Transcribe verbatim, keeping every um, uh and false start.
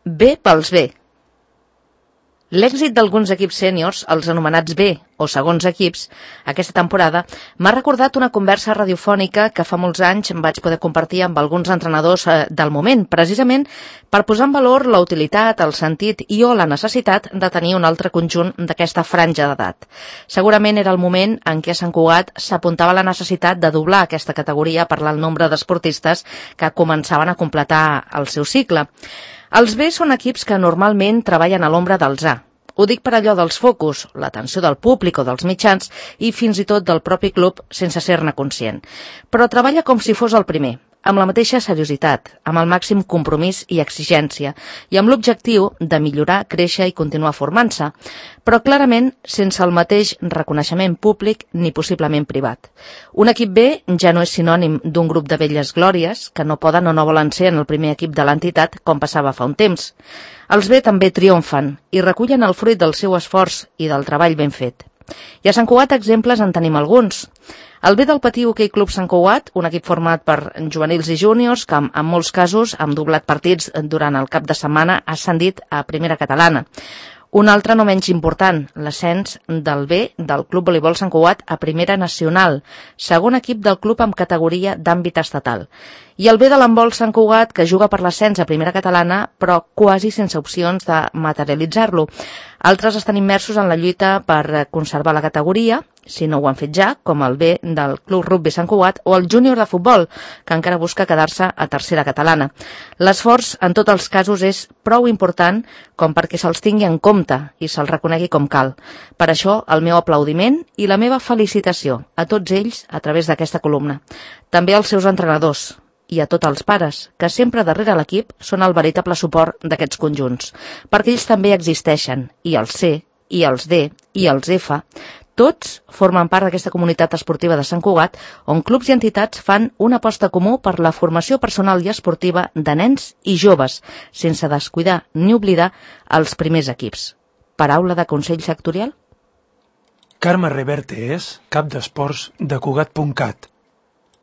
B pels B. L'èxit d'alguns equips sèniors, els anomenats B o segons equips, aquesta temporada, m'ha recordat una conversa radiofònica que fa molts anys vaig poder compartir amb alguns entrenadors del moment, precisament per posar en valor la utilitat, el sentit i o la necessitat de tenir un altre conjunt d'aquesta franja d'edat. Segurament era el moment en què a Sant Cugat s'apuntava la necessitat de doblar aquesta categoria per el nombre d'esportistes que començaven a completar el seu cicle. Els B són equips que normalment treballen a l'ombra dels A. Ho dic per allò dels focus, l'atenció del públic o dels mitjans i fins i tot del propi club sense ser-ne conscient. Però treballa com si fos el primer, amb la mateixa seriositat, amb el màxim compromís i exigència, i amb l'objectiu de millorar, créixer i continuar formant-se, però clarament sense el mateix reconeixement públic ni possiblement privat. Un equip B ja no és sinònim d'un grup de velles glòries que no poden o no volen ser en el primer equip de l'entitat com passava fa un temps. Els B també triomfen i recullen el fruit del seu esforç i del treball ben fet. I a Sant Cugat exemples en tenim alguns. El B del Patí Hoquei Club Sant Cugat, un equip format per juvenils i júniors que en molts casos han doblat partits durant el cap de setmana, ha ascendit a primera catalana. Un altre no menys important, l'ascens del B del Club Voleibol Sant Cugat a primera nacional, segon equip del club amb categoria d'àmbit estatal. I el B de l'handbol Sant Cugat, que juga per l'ascens a primera catalana, però quasi sense opcions de materialitzar-lo. Altres estan immersos en la lluita per conservar la categoria, si no ho han fet ja, com el B del Club Rugby Sant Cugat o el júnior de futbol, que encara busca quedar-se a tercera catalana. L'esforç, en tots els casos, és prou important com perquè se'ls tingui en compte i se'ls reconegui com cal. Per això, el meu aplaudiment i la meva felicitació a tots ells a través d'aquesta columna. També als seus entrenadors i a tots els pares, que sempre darrere l'equip són el veritable suport d'aquests conjunts, perquè ells també existeixen, i els C, i els D, i els F, tots formen part d'aquesta comunitat esportiva de Sant Cugat, on clubs i entitats fan una aposta comú per la formació personal i esportiva de nens i joves, sense descuidar ni oblidar els primers equips. Paraula de Consell Sectorial? Carme Reverte és cap d'esports de Cugat punt cat.